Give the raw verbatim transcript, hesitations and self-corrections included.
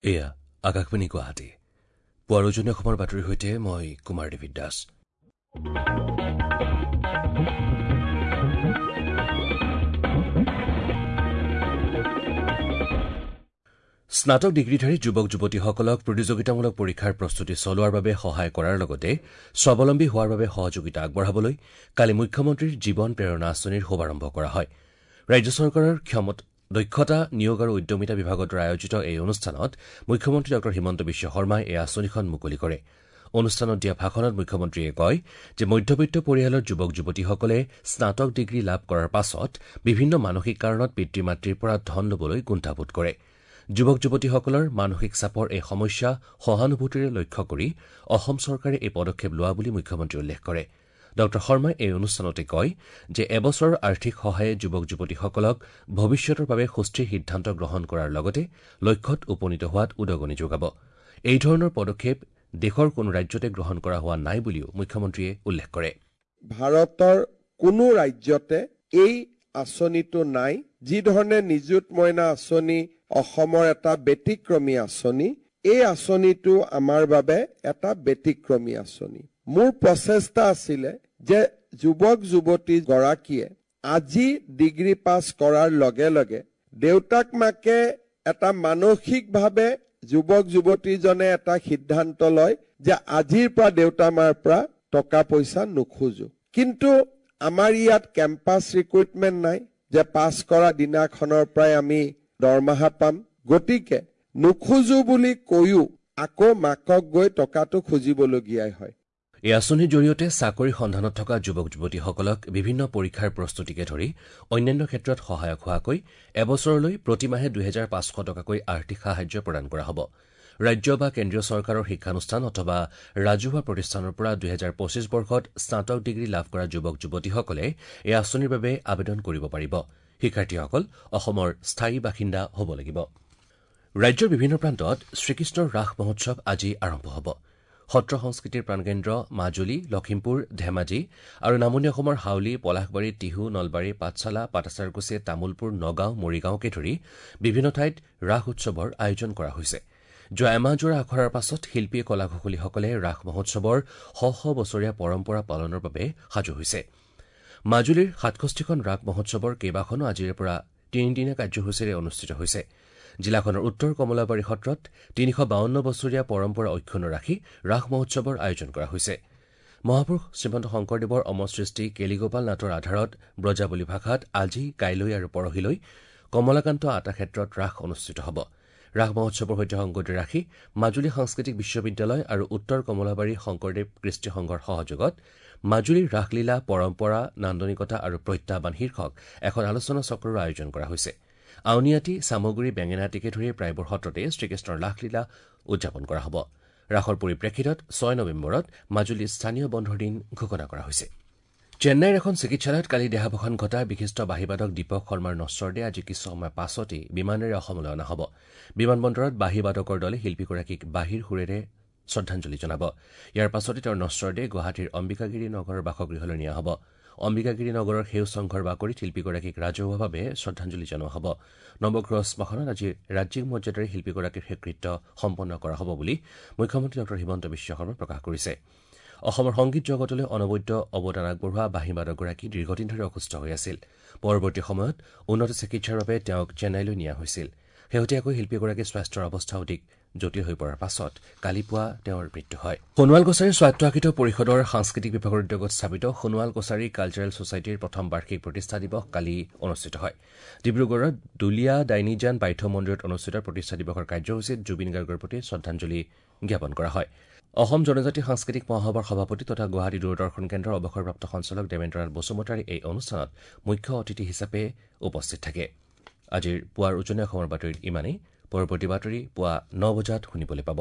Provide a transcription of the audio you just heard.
এয়া আকাশবাণী গুৱাহাটী। পুৱাৰ উজনি অসমৰ বাতৰিৰ সৈতে মই কুমাৰ ডেভিড দাস। স্নাতক ডিগ্ৰীধাৰী যুৱক যুৱতীসকলক প্ৰতিযোগিতামূলক পৰীক্ষাৰ প্ৰস্তুতি চলোৱাৰ বাবে সহায় কৰাৰ লগতে স্বাৱলম্বী হোৱাৰ বাবে সহযোগিতা আগবঢ়াবলৈ কালি মুখ্যমন্ত্ৰীৰ জীৱন প্ৰেৰণা আঁচনিৰ শুভাৰম্ভ কৰা হয়। ৰাজ্য চৰকাৰৰ ক্ষমতা দক্ষতা নিয়োগ আৰু উদ্যমিতা বিভাগৰ দ্বাৰা আয়োজিত এই অনুষ্ঠানত মুখ্যমন্ত্ৰী ডঃ হিমন্ত বিশ্ব শৰ্মাই এই আঁচনিখন মুকলি কৰে। অনুষ্ঠানত দিয়া ভাষণত মুখ্যমন্ত্ৰীয়ে কয় যে মধ্যবিত্ত পৰিয়ালৰ যুৱক যুৱতীসকলে স্নাতক ডিগ্ৰী লাভ কৰাৰ পাছত বিভিন্ন মানসিক কাৰণত পিতৃ মাতৃৰ পৰা ধন ল'বলৈ কুণ্ঠাবোধ কৰে। যুৱক যুৱতীসকলৰ মানসিক চাপৰ এই সমস্যা সহানুভূতিৰে লক্ষ্য কৰি অসম চৰকাৰে এই পদক্ষেপ লোৱা বুলি মুখ্যমন্ত্ৰীয়ে উল্লেখ কৰে। ডঃ শৰ্মাই এই অনুষ্ঠানতে কয় যে এবছৰৰ আৰ্থিক সহায়ে যুৱক যুৱতীসকলক ভৱিষ্যতৰ বাবে সুস্থিৰ সিদ্ধান্ত গ্ৰহণ কৰাৰ লগতে লক্ষ্যত উপনীত হোৱাত উদগনি যোগাব। এই ধৰণৰ পদক্ষেপ দেশৰ কোনো ৰাজ্যতে গ্ৰহণ কৰা হোৱা নাই বুলিও মুখ্যমন্ত্ৰীয়ে উল্লেখ কৰে। ভাৰতৰ কোনো ৰাজ্যতে এই আঁচনিটো নাই। যি ধৰণে নিযুত মইনা আঁচনি অসমৰ এটা ব্যতিক্ৰমী আঁচনি, এই আঁচনিটো আমাৰ বাবে এটা ব্যতিক্ৰমী আঁচনি। মোৰ প্ৰচেষ্টা আছিলে যে যুৱক যুৱতী গৰাকীয়ে আজি ডিগ্ৰী পাছ কৰাৰ লগে লগে দেউতাক মাকে এটা মানসিকভাৱে যুৱক যুৱতীজনে এটা সিদ্ধান্ত লয় যে আজিৰ পৰা দেউতা মাৰ পৰা টকা পইচা নোখোজো। কিন্তু আমাৰ ইয়াত কেম্পাছ ৰিক্ৰুইটমেণ্ট নাই যে পাছ কৰা দিনাখনৰ পৰাই আমি দৰমহা পাম। গতিকে নোখোজো বুলি কৈও আকৌ মাকক গৈ টকাটো খুজিবলগীয়াই হয়। এই আঁচনিৰ জৰিয়তে চাকৰিৰ সন্ধানত থকা যুৱক যুৱতীসকলক বিভিন্ন পৰীক্ষাৰ প্ৰস্তুতিকে ধৰি অন্যান্য ক্ষেত্ৰত সহায়ক হোৱাকৈ এবছৰলৈ প্ৰতিমাহে দুহেজাৰ পাঁচশ টকাকৈ আৰ্থিক সাহায্য প্ৰদান কৰা হ'ব। ৰাজ্য বা কেন্দ্ৰীয় চৰকাৰৰ শিক্ষানুষ্ঠান অথবা ৰাজহুৱা প্ৰতিষ্ঠানৰ পৰা দুহেজাৰ পঁচিছ বৰ্ষত স্নাতক ডিগ্ৰী লাভ কৰা যুৱক যুৱতীসকলে এই আঁচনিৰ বাবে আবেদন কৰিব পাৰিব। শিক্ষাৰ্থীসকল অসমৰ স্থায়ী বাসিন্দা হ'ব লাগিব। ৰাজ্যৰ বিভিন্ন প্ৰান্তত শ্ৰীকৃষ্ণৰ ৰাস মহোৎসৱ আজি আৰম্ভ হ'ব। সত্ৰ সংস্কৃতিৰ প্ৰাণকেন্দ্ৰ মাজুলী, লখিমপুৰ, ধেমাজি আৰু নামনি অসমৰ হাউলী, পলাশবাৰী, টিহু, নলবাৰী, পাঠশালা, পাটাছাৰকুছি, তামোলপুৰ, নগাঁও, মৰিগাঁওকে ধৰি বিভিন্ন ঠাইত ৰাস উৎসৱৰ আয়োজন কৰা হৈছে। যোৱা এমাহজোৰা আখৰাৰ পাছত শিল্পী কলাকুশলীসকলে ৰাস মহোৎসৱৰ শ শ বছৰীয়া পৰম্পৰা পালনৰ বাবে সাজু হৈছে। মাজুলীৰ সাতষষ্ঠিখন ৰাস মহোৎসৱৰ কেইবাখনো আজিৰে পৰা তিনিদিনীয়া কাৰ্যসূচীৰে অনুষ্ঠিত হৈছে। জিলাখনৰ উত্তৰ কমলাবাৰী সত্ৰত তিনিশ বাৱন্ন বছৰীয়া পৰম্পৰা অক্ষুণ্ণ ৰাখি ৰাস মহোৎসৱৰ আয়োজন কৰা হৈছে। মহাপুৰুষ শ্ৰীমন্ত শংকৰদেৱৰ অমৰ সৃষ্টি কেলিগোপাল নাটৰ আধাৰত ব্ৰজাৱলী ভাষাত আজি, কাইলৈ আৰু পৰহিলৈ কমলাকান্ত আটা ক্ষেত্ৰত ৰাস অনুষ্ঠিত হ'ব। ৰাস মহোৎসৱৰ সৈতে সংগতি ৰাখি মাজুলী সাংস্কৃতিক বিশ্ববিদ্যালয় আৰু উত্তৰ কমলাবাৰী শংকৰদেৱ কৃষ্টি সংঘৰ সহযোগত মাজুলীৰ ৰাসলীলা পৰম্পৰা, নান্দনিকতা আৰু প্ৰত্যাহ্বান শীৰ্ষক এখন আলোচনা চক্ৰৰো আয়োজন কৰা হৈছে। আউনীআটী, চামগুৰি, বেঙেনাআটীকে ধৰি প্ৰায়বোৰ সত্ৰতে শ্ৰীকৃষ্ণৰ ৰাসলীলা উদযাপন কৰা হ'ব। ৰাসৰ পৰিপ্ৰেক্ষিতত ছয় নৱেম্বৰত মাজুলীত স্থানীয় বন্ধৰ দিন ঘোষণা কৰা হৈছে। চেন্নাইৰ এখন চিকিৎসালয়ত কালি দেহাৱসান ঘটা বিশিষ্ট বাঁহীবাদক দীপক শৰ্মাৰ নশ্বৰদেহ আজি কিছু সময় পাছতেই বিমানেৰে অসমলৈ অনা হ'ব। বিমানবন্দৰত বাঁহীবাদকৰ দলে শিল্পীগৰাকীক বাঁহীৰ সুৰেৰে শ্ৰদ্ধাঞ্জলি জনাব। ইয়াৰ পাছতে তেওঁৰ নশ্বৰদেহ গুৱাহাটীৰ অম্বিকাগিৰি নগৰৰ বাসগৃহলৈ নিয়া হ'ব। অম্বিকাগিৰি নগৰৰ সেউজ সংঘৰ বাকৰিত শিল্পীগৰাকীক ৰাজহুৱাভাৱে শ্ৰদ্ধাঞ্জলি জনোৱা হ'ব। নৱগ্ৰহ শ্মশানত আজি ৰাজ্যিক মৰ্যাদাৰে শিল্পীগৰাকীৰ শেষকৃত্য সম্পন্ন কৰা হ'ব বুলি মুখ্যমন্ত্ৰী ডঃ হিমন্ত বিশ্ব শৰ্মাই প্ৰকাশ কৰিছে। অসমৰ সংগীত জগতলৈ অনবদ্য অৱদান আগবঢ়োৱা বাঁহীবাদকগৰাকী দীৰ্ঘদিন ধৰি অসুস্থ হৈ আছিল। পৰৱৰ্তী সময়ত উন্নত চিকিৎসাৰ বাবে তেওঁক চেন্নাইলৈ নিয়া হৈছিল। শেহতীয়াকৈ শিল্পীগৰাকীৰ স্বাস্থ্যৰ অৱস্থা অধিক জটিল হৈ পৰাৰ পাছত কালি পুৱা তেওঁৰ মৃত্যু হয়। সোণোৱাল কছাৰী স্বায়ত্তশাসিত পৰিষদৰ সাংস্কৃতিক বিভাগৰ উদ্যোগত স্থাপিত সোণোৱাল কছাৰী কালচাৰেল ছ'চাইটিৰ প্ৰথম বাৰ্ষিক প্ৰতিষ্ঠা দিৱস কালি অনুষ্ঠিত হয়। ডিব্ৰুগড়ৰ দুলীয়া ডাইনিজান পাঠ্য মন্দিৰত অনুষ্ঠিত প্ৰতিষ্ঠা দিৱসৰ কাৰ্যসূচীত জুবিন গাৰ্গৰ প্ৰতি শ্ৰদ্ধাঞ্জলি জ্ঞাপন কৰা হয়। অসম জনজাতি সাংস্কৃতিক মহাসভাৰ সভাপতি তথা গুৱাহাটী দূৰদৰ্শন কেন্দ্ৰৰ অৱসৰপ্ৰাপ্ত সঞ্চালক দেৱেন্দ্ৰনাথ বসুমতাৰী এই অনুষ্ঠানত মুখ্য অতিথি হিচাপে উপস্থিত থাকে। আজিৰ পুৱাৰ উজনি অসমৰ বাতৰিত ইমানেই। পৰৱৰ্তী বাতৰি পুৱা ন বজাত শুনিবলৈ পাব।